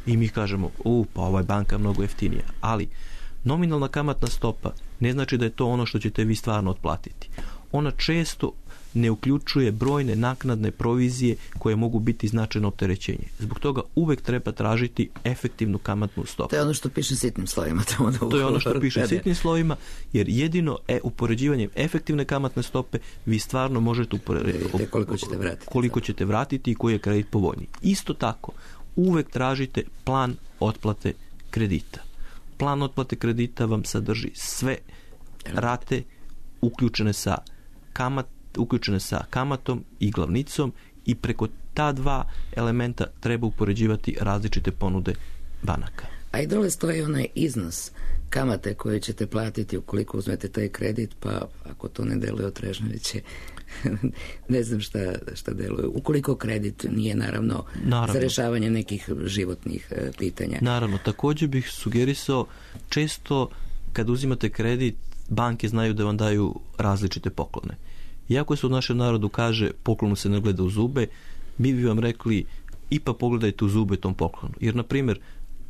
I mi kažemo, pa ova je banka mnogo jeftinija. Ali nominalna kamatna stopa ne znači da je to ono što ćete vi stvarno otplatiti. Ona često ne uključuje brojne naknadne provizije koje mogu biti značajno opterećenje. Zbog toga uvek treba tražiti efektivnu kamatnu stopu. To je ono što piše sitnim slovima. To je ono što piše sitnim slovima, jer jedino upoređivanjem efektivne kamatne stope vi stvarno možete uporediti koliko ćete vratiti i koji je kredit povoljniji. Isto tako, uvek tražite plan otplate kredita. Plan otplate kredita vam sadrži sve rate uključene sa kamatom i glavnicom i preko ta dva elementa treba upoređivati različite ponude banaka. A i dole stoji onaj iznos kamate koje ćete platiti ukoliko uzmete taj kredit, pa ako to ne deluje otrežnjeviće, ne znam šta deluje. Ukoliko kredit nije naravno za rješavanje nekih životnih pitanja. Naravno, također bih sugerisao, često kad uzimate kredit, banke znaju da vam daju različite poklone. Iako se u našem narodu kaže poklonu se ne gleda u zube, mi bi vam rekli ipak pogledajte u zube tom poklonu. Jer, na primjer,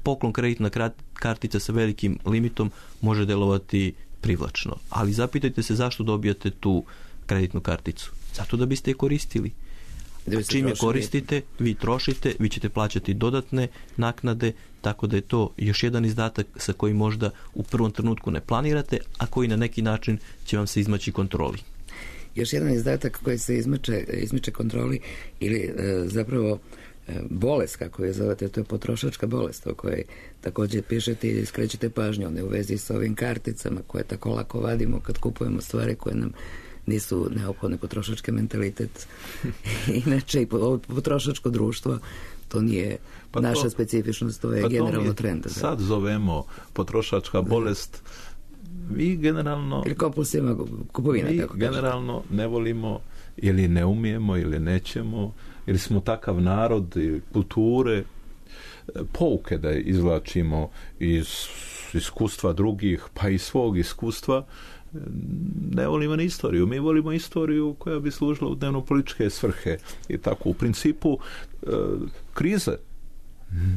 poklon kreditna kartica sa velikim limitom može delovati privlačno. Ali zapitajte se zašto dobijate tu kreditnu karticu. Zato da biste je koristili. Čim je koristite, vi trošite, vi ćete plaćati dodatne naknade, tako da je to još jedan izdatak sa kojim možda u prvom trenutku ne planirate, a koji na neki način će vam se izmaći kontroli. Još jedan izdatak koji se izmiče kontroli ili zapravo bolest, kako je zovete, to je potrošačka bolest o kojoj također pišete i skrećete pažnju, one u vezi s ovim karticama koje tako lako vadimo kad kupujemo stvari koje nam nisu neophodne, potrošački mentalitet. Inače i potrošačko društvo, to nije naša specifičnost, to je generalno trend. Sad zovemo potrošačka bolest. Mi generalno ili kompulsivna kupovina, mi generalno ne volimo ili ne umijemo ili nećemo ili smo takav narod ili kulture, pouke da izvlačimo iz iskustva drugih pa i svog iskustva. Ne volimo ni istoriju. Mi volimo istoriju koja bi služila u dnevno-političke svrhe i tako. U principu krize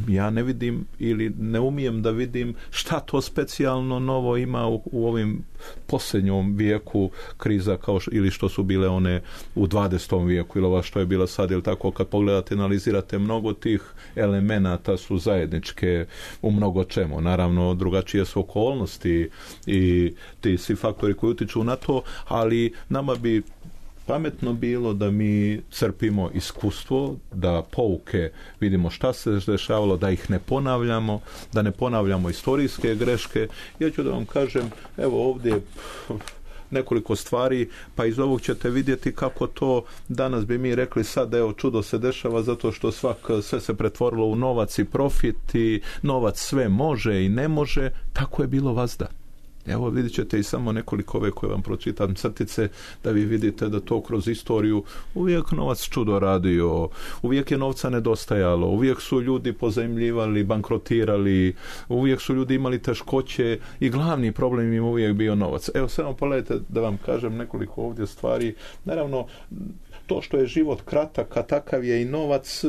ja ne vidim ili ne umijem da vidim šta to specijalno novo ima u ovim posljednjom vijeku kriza ili što su bile one u 20. vijeku ili ova što je bila sad, ili tako kad pogledate, analizirate, mnogo tih elemenata su zajedničke u mnogo čemu. Naravno, drugačije su okolnosti i ti svi faktori koji utiču na to, ali nama bi pametno bilo da mi crpimo iskustvo, da pouke vidimo šta se dešavalo, da ih ne ponavljamo, da ne ponavljamo istorijske greške. Ja ću da vam kažem, evo ovdje nekoliko stvari, pa iz ovog ćete vidjeti kako to danas bi mi rekli sad, evo čudo se dešava zato što sve se pretvorilo u novac i profit i novac sve može i ne može, tako je bilo vazda. Evo vidjet ćete i samo nekoliko ove koje vam pročitam crtice da vi vidite da to kroz istoriju uvijek novac čudo radio, uvijek je novca nedostajalo, uvijek su ljudi pozajmljivali, bankrotirali, uvijek su ljudi imali teškoće i glavni problem im uvijek bio novac. Evo samo pogledajte da vam kažem nekoliko ovdje stvari. Naravno, to što je život kratak, a takav je i novac,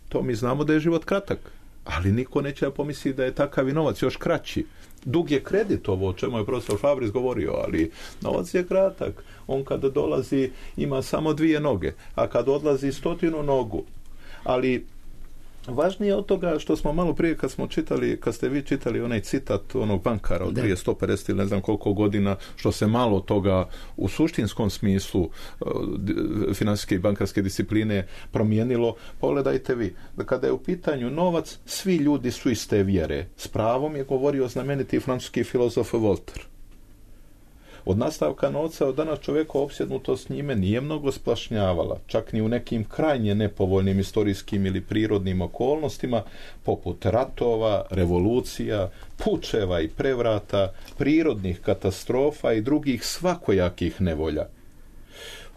to mi znamo da je život kratak, ali niko neće pomisliti da je takav i novac još kraći. Dug je kredit, ovo o čemu je profesor Fabris govorio, ali novac je kratak. On kada dolazi ima samo 2 noge, a kad odlazi 100 nogu. Ali važnije od toga što smo malo prije kad ste vi čitali onaj citat onog bankara od prije 150 ili ne znam koliko godina, što se malo toga u suštinskom smislu financijske i bankarske discipline promijenilo, pogledajte vi, da kada je u pitanju novac, svi ljudi su iste vjere. S pravom je govorio znameniti francuski filozof Voltaire. Od nastavka novca od danas čovjeka opsjednutost njime nije mnogo splašnjavala, čak ni u nekim krajnje nepovoljnim istorijskim ili prirodnim okolnostima, poput ratova, revolucija, pučeva i prevrata, prirodnih katastrofa i drugih svakojakih nevolja.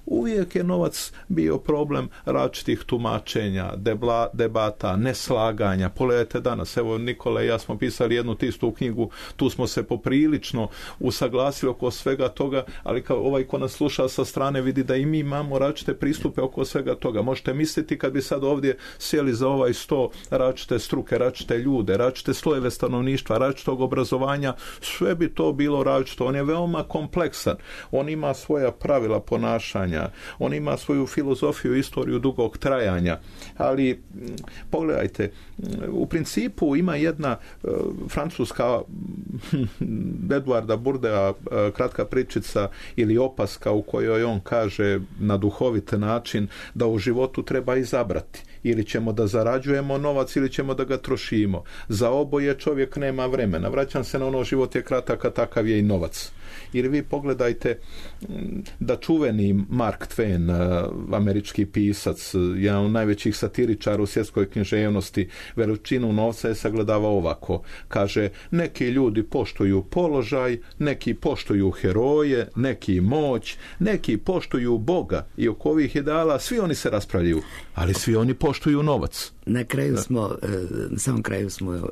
Uvijek je novac bio problem različitih tumačenja, debata, neslaganja. Pogledajte danas, evo Nikola i ja smo pisali jednu tistu knjigu, tu smo se poprilično usaglasili oko svega toga, ali kao ovaj ko nas sluša sa strane vidi da i mi imamo različite pristupe oko svega toga. Možete misliti kad bi sad ovdje sjeli za ovaj sto različite struke, različite ljude, različite slojeve stanovništva, različitog obrazovanja, sve bi to bilo različito. On je veoma kompleksan, on ima svoja pravila ponašanja, on ima svoju filozofiju, istoriju dugog trajanja, ali pogledajte, u principu ima jedna francuska Eduarda Bourdea kratka pričica ili opaska u kojoj on kaže na duhovit način da u životu treba izabrati. Ili ćemo da zarađujemo novac ili ćemo da ga trošimo. Za oboje čovjek nema vremena. Vraćam se na ono, život je kratak, a takav je i novac. Ili vi pogledajte da čuveni Mark Twain, američki pisac, jedan od najvećih satiričara u svjetskoj književnosti, veličinu novca je sagledavao ovako. Kaže, neki ljudi poštuju položaj, neki poštuju heroje, neki moć, neki poštuju Boga i oko ovih ideala svi oni se raspravljaju, ali svi oni poštuju novac. Na kraju smo, na samom kraju smo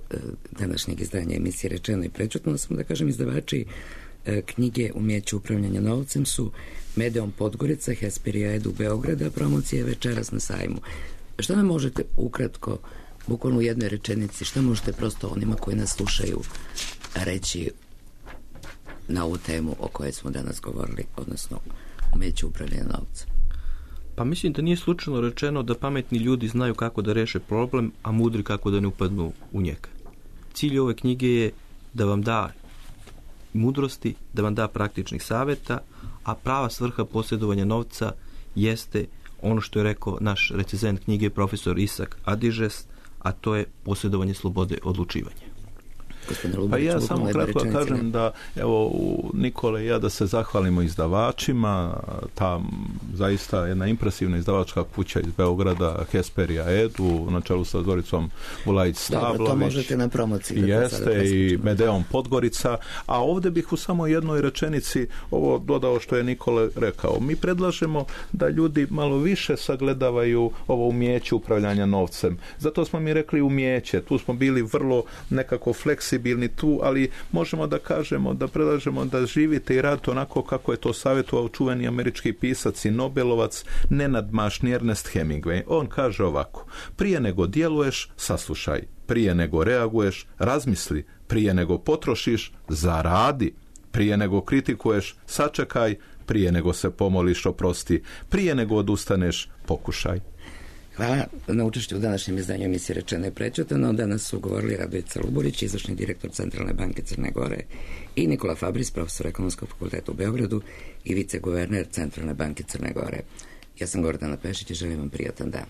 današnjeg izdanja emisije Rečeno i prečutno smo, da kažem, izdavači knjige Umijeće upravljanja novcem su Medeon Podgorica, Hesperija Edu Beograda, promocije večeras na sajmu. Šta nam možete ukratko, bukvalno u jednoj rečenici, šta možete prosto onima koji nas slušaju reći na ovu temu o kojoj smo danas govorili, odnosno umijeće upravljanja novcem? Pa mislim da nije slučajno rečeno da pametni ljudi znaju kako da reše problem, a mudri kako da ne upadnu u njega. Cilj ove knjige je da vam da mudrosti, da vam da praktičnih savjeta, a prava svrha posjedovanja novca jeste ono što je rekao naš recenzent knjige profesor Isak Adižes, a to je posjedovanje slobode odlučivanja. Pa ja samo kratko kažem da evo Nikole i ja da se zahvalimo izdavačima, ta zaista jedna impresivna izdavačka kuća iz Beograda, Hesperija Edu, na čelu sa Zoricom Bulajić-Stavlović. Dobro, to možete na promociji. Jeste i Medeon Podgorica, a ovdje bih u samo jednoj rečenici ovo dodao što je Nikole rekao. Mi predlažemo da ljudi malo više sagledavaju ovo umijeće upravljanja novcem. Zato smo mi rekli umijeće, tu smo bili vrlo nekako fleksibilni tu, ali možemo da kažemo, da predlažemo da živite i radite onako kako je to savjetovao čuveni američki pisac i Nobelovac Nenad Mašni Ernest Hemingway. On kaže ovako: prije nego djeluješ, saslušaj, prije nego reaguješ, razmisli, prije nego potrošiš, zaradi, prije nego kritikuješ, sačekaj, prije nego se pomoliš, oprosti, prije nego odustaneš, pokušaj. Hvala na učešću u današnjem izdanju emisije Rečeno i prečutano. Danas su govorili Radovica Luburić, izvršni direktor Centralne banke Crne Gore, i Nikola Fabris, profesor Ekonomskog fakulteta u Beogradu i viceguverner Centralne banke Crne Gore. Ja sam Gordana Pešić i želim vam prijatan dan.